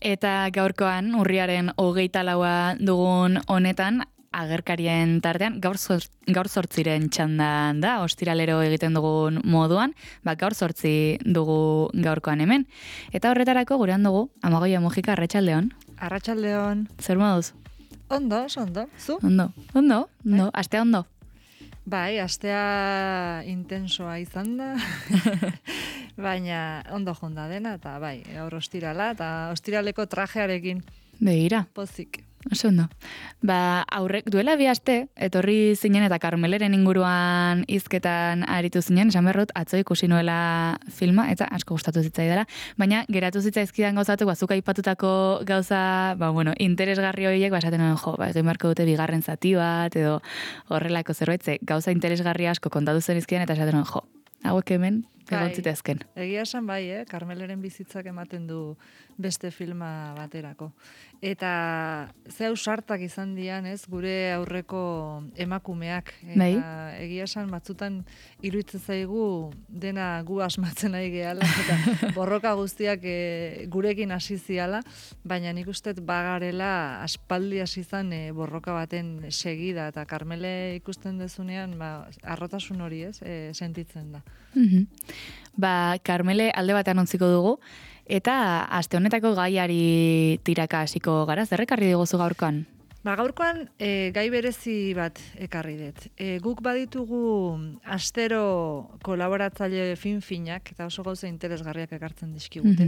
Eta gaurkoan, urriaren 24 dugun honetan, agerkarien tartean, gaur zortziren txandan da, ostiralero egiten dugun moduan, gaur zortzi dugu gaurkoan hemen. Eta horretarako gurean dugu, Amagoia Mujika, arratsaldeon. Arratsaldeon. Zer moduz? Ondo, zu? Ondo, astea ondo. Bai, astea intensoa izan da, baina ondo jonda dena, eta bai, gaur ostirala, eta ostiraleko trajearekin. Begira. Pozik. Oso ondo. Aurrek duela 2 aste, etorri zinen eta Karmeleren inguruan hizketan aritu zinen, esan berrut, atzo ikusi nuela filma, eta asko gustatu zitzaidala, baina geratu zitzaizkidan gauzatu, zuk aipatutako gauza, interesgarri horiek, esaten nuen, egin beharko dute bigarren zati bat, edo horrelako zerbait, gauza interesgarri asko kontatu zen izkidan, eta esaten nuen, hauek hemen, egontzitezken. Egia esan bai, Karmeleren bizitzak ematen du beste filma baterako. Eta ze ausartak izan dian, gure aurreko emakumeak. Eta egia esan batzutan iruditzen zaigu dena gu asmatzen nahi gehala, eta borroka guztiak gurekin hasi ziala, baina nik uste bagarela aspaldi hasi izan borroka baten segida, eta Karmele ikusten dezunean arrotasun hori sentitzen da. Karmele alde batean ontziko dugu, eta aste honetako gaiari tiraka hasiko gara, zer ekarri diguzu gaurkoan? Gaurkoan gai berezi bat ekarri dut. Guk baditugu astero kolaboratzaile fin-finak, eta oso gauza interesgarriak ekartzen dizkigute.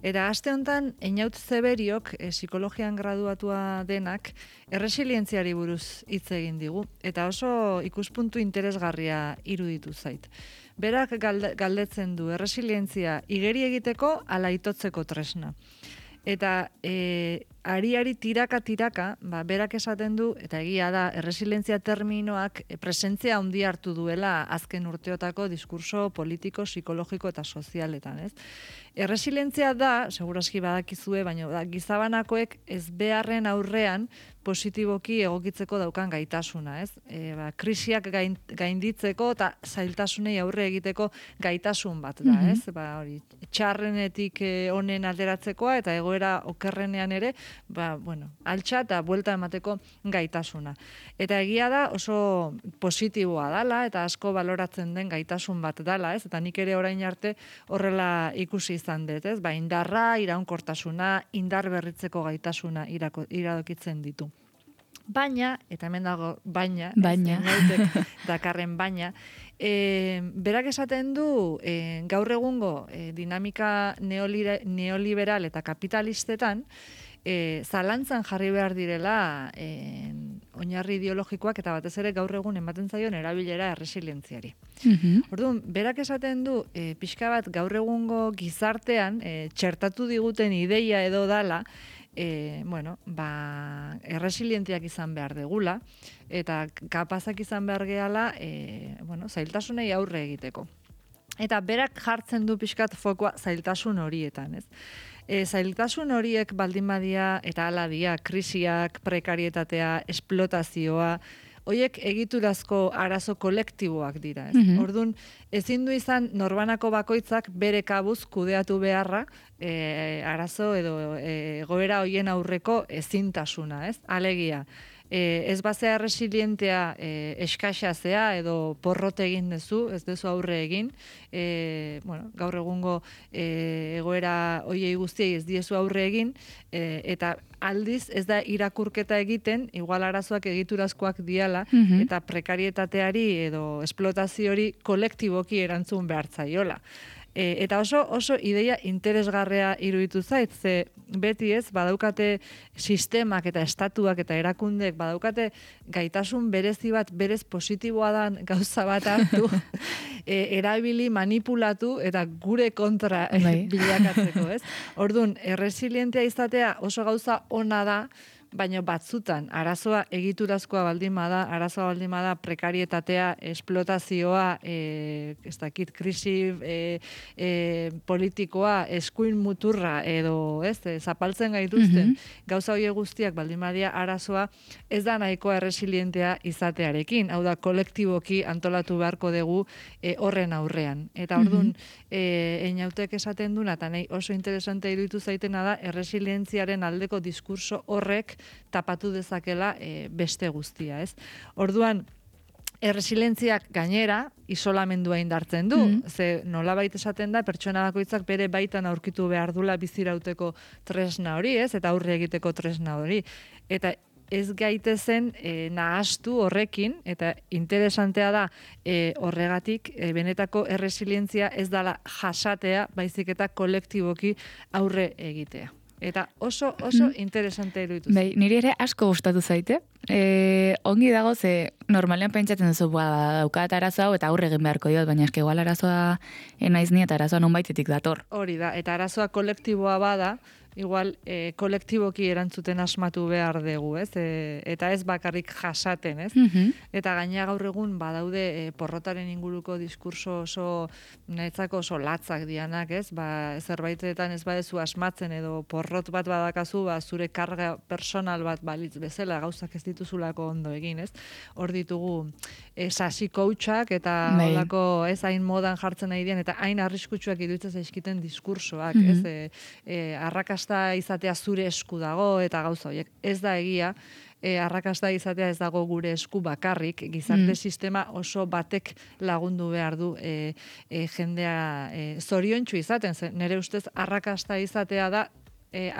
Eta aste honetan, Einaut Zeberiok, psikologian graduatua denak, erresilientziari buruz hitz egin digu, eta oso ikuspuntu interesgarria iruditu zait. Berak galdetzen du, erresilientzia igeri egiteko ala itotzeko tresna. Eta ari tiraka, berak esaten du, eta egia da, erresilientzia terminoak presentzia handi hartu duela azken urteotako diskurso politiko, psikologiko eta sozialetan, Erresilientzia da, seguraski badakizue, baina gizabanakoek ez beharren aurrean positiboki egokitzeko daukan gaitasuna, krisiak gainditzeko eta zailtasunei aurre egiteko gaitasun bat da, txarrenetik honen alderatzekoa eta egoera okerrenean ere, altxa eta buelta emateko gaitasuna. Eta egia da oso positiboa dala eta asko baloratzen den gaitasun bat dala, eta nik ere orain arte horrela ikusi izan dut, indarra, iraunkortasuna, indar berritzeko gaitasuna iradokitzen ditu. Baina, eta hemen dago baina, dakarren baina, berak esaten du gaur egungo dinamika neoliberal eta kapitalistetan zalantzan jarri behar direla oinarri ideologikoak eta batez ere gaur egun ematen zaion erabilera erresilientziari. Orduan, berak esaten du pixka bat gaur egungo gizartean txertatu diguten ideia edo dala erresilientiak izan behar degula eta kapazak izan behar gehala zailtasunei aurre egiteko. Eta berak jartzen du pixkat fokoa zailtasun horietan, zailtasun horiek baldin badia eta hala dia, krisiak, prekarietatea, esplotazioa, horiek egiturazko arazo kolektiboak dira. Orduan, ezin du izan norbanako bakoitzak bere kabuz kudeatu beharra arazo edo egoera horien aurreko ezintasuna. Alegia, ez bazea resilientea eskaxazea edo porrot egin dezu, ez dezu aurre egin, gaur egungo egoera hoiei guztiei ez diezu aurre egin, eta aldiz ez da irakurketa egiten, igual arazoak egiturazkoak diala, eta prekarietateari edo esplotazioari kolektiboki erantzun behar zaiola. Eta oso ideia interesgarria iruditu zait, ze beti badaukate sistemak eta estatuak eta erakundek badaukate gaitasun berezi bat, berez positiboa dan gauza bat hartu, erabili, manipulatu eta gure kontra bilakatzeko, Orduan, erresilientea izatea oso gauza ona da, baina batzutan arazoa egiturazkoa baldin bada, arazoa baldin bada prekarietatea, esplotazioa, ez dakit, krisi politikoa, eskuin muturra edo, zapaltzen gaituzten, gauza horiek guztiak baldin badia arazoa ez da nahikoa erresilientea izatearekin, hau da kolektiboki antolatu beharko dugu horren aurrean. Eta orduan, Einautek esaten duna, eta nahi oso interesante iruditu zaitena da, erresilientziaren aldeko diskurso horrek tapatu dezakela beste guztia, ez? Orduan, erresilientziak gainera, isolamendua indartzen du. Ze nolabait esaten da, pertsona bakoitzak bere baitan aurkitu behar dula bizirauteko tresna hori, ez? Eta aurre egiteko tresna hori. Eta ez gaitezen nahastu horrekin, eta interesantea da horregatik, benetako erresilientzia ez dala jasatea, baizik eta kolektiboki aurre egitea. Eta oso interesante iruditu. Bai, niri ere asko gustatu zaite. Ongi dago, ze normalean pentsatzen duzu, daukat arazo hau eta aurre egin beharko diot, baina eske igual arazoa naiz ni eta arazoa nonbaitetik dator. Hori da, eta arazoa kolektiboa bada, igual kolektiboki erantzuten asmatu behar dugu, ez? Eta ez bakarrik jasaten, ez? Eta gaina gaur egun badaude porrotaren inguruko diskurso oso netzako oso latzak dianak, ez? Zerbaitetan ez badezu asmatzen edo porrot bat badakazu, zure karga personal bat balitz bezala, gauzak ez dituzulako ondo egin, ez? Hor ditugu sasi coachak eta holako ez hain modan jartzen nahi dian, eta hain arriskutsuak iruditzen zaizkiten diskursoak, ez? Arrakasta izatea zure esku dago eta gauza horiek. Ez da egia, arrakasta izatea ez dago gure esku bakarrik, gizarte sistema oso batek lagundu behar du jendea zoriontsu izaten. Nere ustez arrakasta izatea da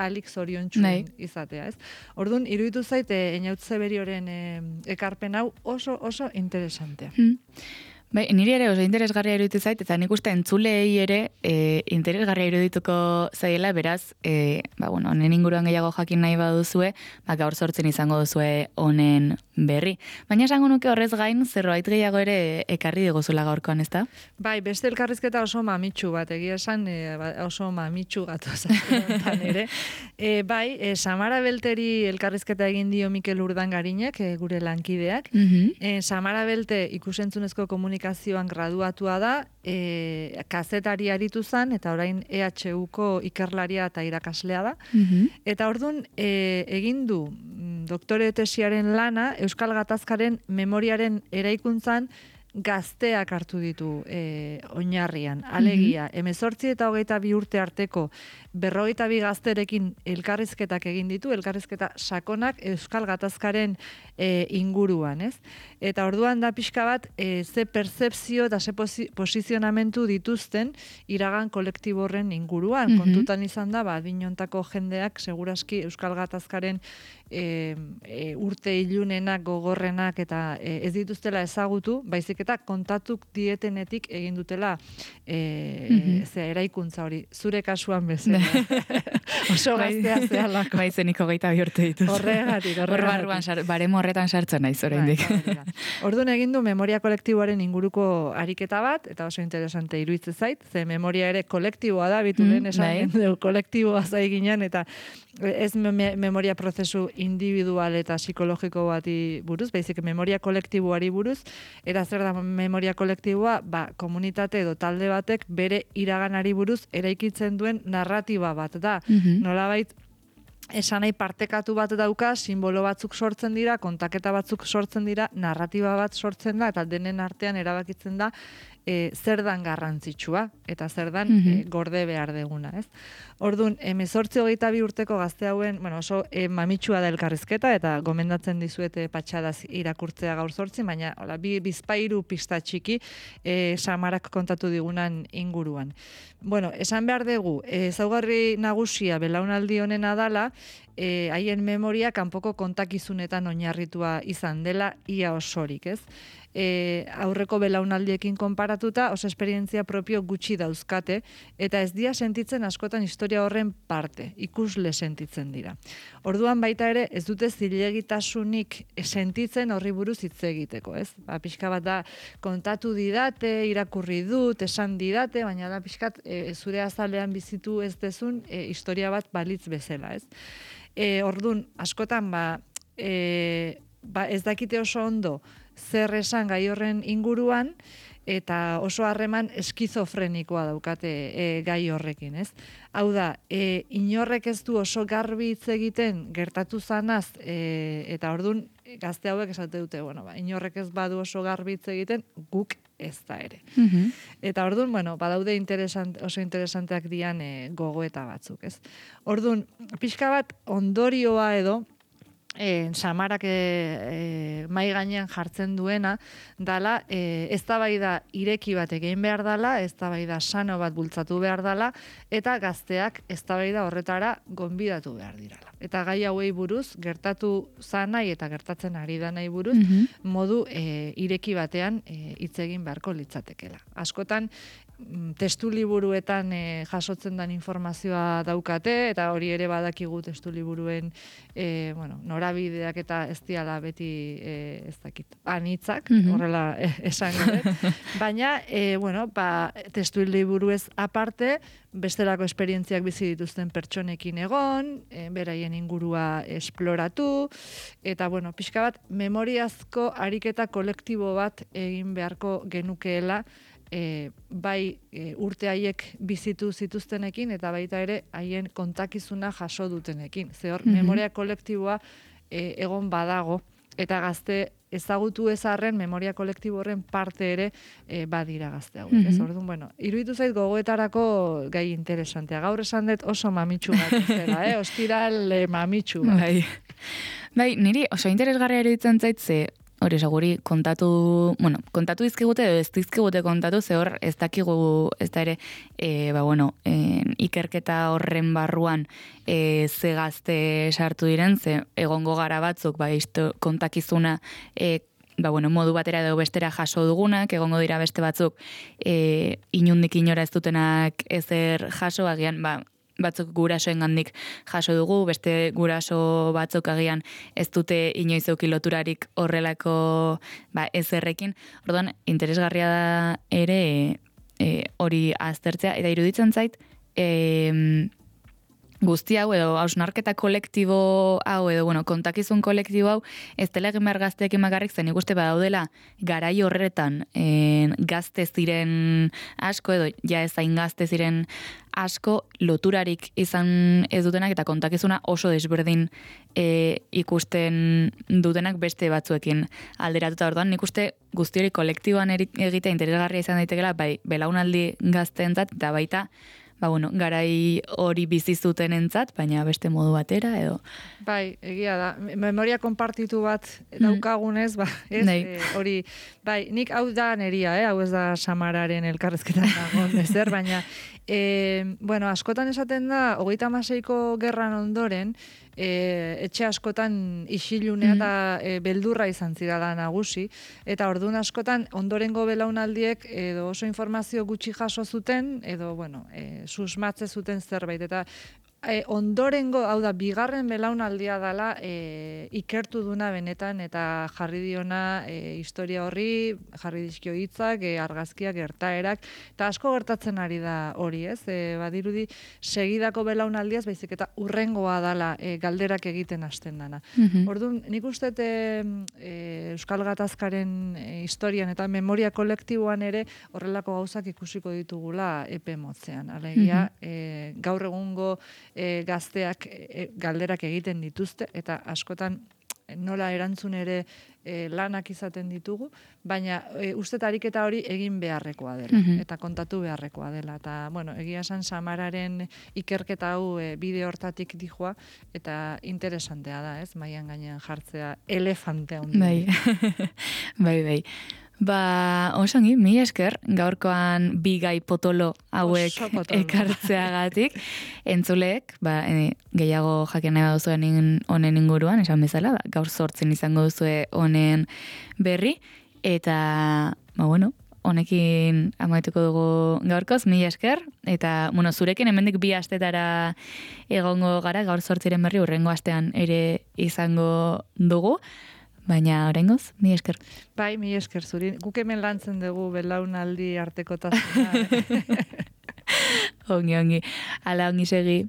alik zoriontsu izatea, ez? Orduan, iruditu zaite Einaut Zeberioren ekarpen hau oso interesantea. Bai, niri ere oso interesgarria iruditu zait, eta nik uste entzulei ere interesgarria irudituko zaiela, beraz, honen inguruan gehiago jakin nahi baduzue, gaur 8 izango duzue honen berri. Baina esango nuke horrez gain, zerbait gehiago ere ekarri diguzula gaurkoan, ezta? Bai, beste elkarrizketa oso mamitsu bat, egia esan oso mamitsu gatozatzen ere. Bai, Samara Belteri elkarrizketa egin dio Mikel Urdangarinek, gure lankideak. Samara Belte ikusentzunezko komunikazioan graduatua da, kazetari aritu zen, eta orain EHUko ikerlaria eta irakaslea da. Eta orduan egin du doktore tesiaren lana Euskal Gatazkaren memoriaren eraikuntzan gazteak hartu ditu oinarrian. Alegia, 18 eta 22 urte arteko 52 gazterekin elkarrizketak egin ditu, elkarrizketa sakonak Euskal Gatazkaren inguruan, ez? Eta orduan da pixka bat ze pertzepzio eta ze posizionamentu dituzten iragan kolektibo horren inguruan. Kontutan izan da, adinontako jendeak segurazki Euskal Gatazkaren urte ilunenak, gogorrenak eta ez dituztela ezagutu, baizik eta kontatuk dietenetik egin dutela eraikuntza hori. Zure kasuan bezala. Oso gaztea zehalako. Bai, zeniko 22 urte dituz. Horregatik. Baremo horretan sartzen naiz oraindik. Orduan egin du memoria kolektiboaren inguruko ariketa bat, eta oso interesante iruditzen zait, ze memoria ere kolektiboa da, bitu lehen esan kolektiboa zai ginen, eta ez memoria prozesu individual eta psikologiko bati buruz, baizik memoria kolektiboari buruz, eta zer da memoria kolektiboa, komunitate edo talde batek bere iraganari buruz eraikitzen duen narratiba bat da. Nolabait, esan nahi partekatu bat dauka, simbolo batzuk sortzen dira, kontaketa batzuk sortzen dira, narratiba bat sortzen da, eta denen artean erabakitzen da zer dan garrantzitsua, eta zer dan gorde behar deguna, ez? Orduan, 18-22 urteko gazte hauen, oso mamitsua da elkarrizketa, eta gomendatzen dizuete patxadaz irakurtzea gaur 8, baina bizpairu pista txiki Samarak kontatu digunan inguruan. Esan behar dugu, ezaugarri nagusia belaunaldi honena dala, haien memoria kanpoko kontakizunetan oinarritua izan dela ia osorik, ez? aurreko belaunaldiekin konparatuta oso esperientzia propio gutxi dauzkate, eta ez dira sentitzen askotan historia horren parte, ikusle sentitzen dira. Orduan baita ere, ez dute zilegitasunik sentitzen horri buruz hitz egiteko, ez? Pixka bat da, kontatu didate, irakurri dut, esan didate, baina da pixkat zure azalean bizitu ez dezun historia bat balitz bezala, ez? Orduan, askotan, ez dakite oso ondo zer esan gai horren inguruan, eta oso harreman eskizofrenikoa daukate gai horrekin, ez? Hau da, inorrek ez du oso garbi hitz egiten gertatu zanaz, eta orduan gazte hauek esate dute, inorrek ez badu oso garbi hitz egiten, guk ez da ere. Eta orduan, badaude oso interesanteak dian gogoeta batzuk, ez? Orduan, pixka bat ondorioa edo, Samarak mai gainean jartzen duena, dala, eztabaida ireki bat egin behar dala, eztabaida sano bat bultzatu behar dala, eta gazteak eztabaida horretara gonbidatu behar dirala. Eta gai hauei buruz, gertatu zanai eta gertatzen ari da nahi buruz, modu ireki batean hitz egin beharko litzatekela. Askotan, testu liburuetan jasotzen den informazioa daukate, eta hori ere badakigu testu liburuen norabideak eta ez diala beti ez dakit, anitzak, horrela esan gure. Baina, testu liburuez aparte, bestelako esperientziak bizi dituzten pertsonekin egon, beraien ingurua esploratu, eta, pixka bat, memoriazko ariketa kolektibo bat egin beharko genukeela, bai urte haiek bizitu zituztenekin eta baita ere haien kontakizuna jaso dutenekin. Ze hor, memoria kolektiboa egon badago eta gazte ezagutu ezarren memoria kolektibo horren parte ere badira gazte hauek. Ez orduan, iruditu zait gogoetarako gai interesantea. Gaur esan dut oso mamitsu bat zera, ostiral mamitsu bat. Bai, niri oso interesgarria iruditzen zait ze hori seguri kontatu dizkigute edo ez dizkigute kontatu, ze hor ez dakigu ez da ere, ikerketa horren barruan ze gazte sartu diren, ze egongo gara batzuk, kontakizuna modu batera edo bestera jaso dugunak, egongo dira beste batzuk inundik inora ez dutenak ezer jaso, agian, batzuk gurasoengandik jaso dugu, beste guraso batzuk agian ez dute inoiz eduki loturarik horrelako ezerrekin. Orduan, interesgarria da ere hori aztertzea, eta iruditzen zait, guzti hau edo hausnarketa kolektibo hau edo kontakizun kolektibo hau ez dela egin behar gazteekin bakarrik, zen ikuste badaudela garai horretan gazte ziren asko edo ja ez hain gazte ziren asko loturarik izan ez dutenak eta kontakizuna oso desberdin ikusten dutenak beste batzuekin alderatuta. Orduan nik uste guzti hori kolektiboan egitea interesgarria izan daitekela bai belaunaldi gazteentzat eta baita garai hori bizi zuten entzat, baina beste modu batera edo. Bai, egia da. Memoria konpartitu bat daukagunez, hori, nik hau da neria, hau ez da Samararen elkarrezketan dagoen ezer, baina, askotan esaten da, 36ko gerran ondoren, etxe askotan isilunea eta beldurra izan zirala nagusi, eta orduan askotan ondorengo belaunaldiek edo oso informazio gutxi jaso zuten, edo, susmatze zuten zerbait, eta ondorengo, hau da, bigarren belaunaldia dela ikertu duna benetan eta jarri diona historia horri, jarri dizkio hitzak, argazkiak, gertaerak, eta asko gertatzen ari da hori, ez? Badirudi, segidako belaunaldiaz, baizik eta urrengoa dela galderak egiten hasten dana. Orduan, nik uste Euskal Gatazkaren historian eta memoria kolektiboan ere horrelako gauzak ikusiko ditugula epe motzean. Alegia, gaur egungo gazteak galderak egiten dituzte eta askotan nola erantzun ere lanak izaten ditugu, baina uste ariketa hori egin beharrekoa dela eta kontatu beharrekoa dela. Eta, egia esan Samararen ikerketa hau bide hortatik dijoa eta interesantea da, ez? Maian gainean jartzea elefantea hundi. Bai. Osongi, mi esker, gaurkoan bi gai potolo hauek ekartzeagatik. Entzuleek, gehiago jakin nahi baduzuen honen inguruan, esan bezala, gaur 8 izango duzue honen berri. eta, bueno, honekin amaituko dugu gaurkoz, mila esker, eta, zurekin hemendik 2 astetara egongo gara, gaur 8 berri, hurrengo astean ere izango dugu, baina oraingoz, mila esker. Bai, mila esker zuri. Guk hemen lantzen dugu belaunaldi artekotasuna. Ongi, hala ongi segi.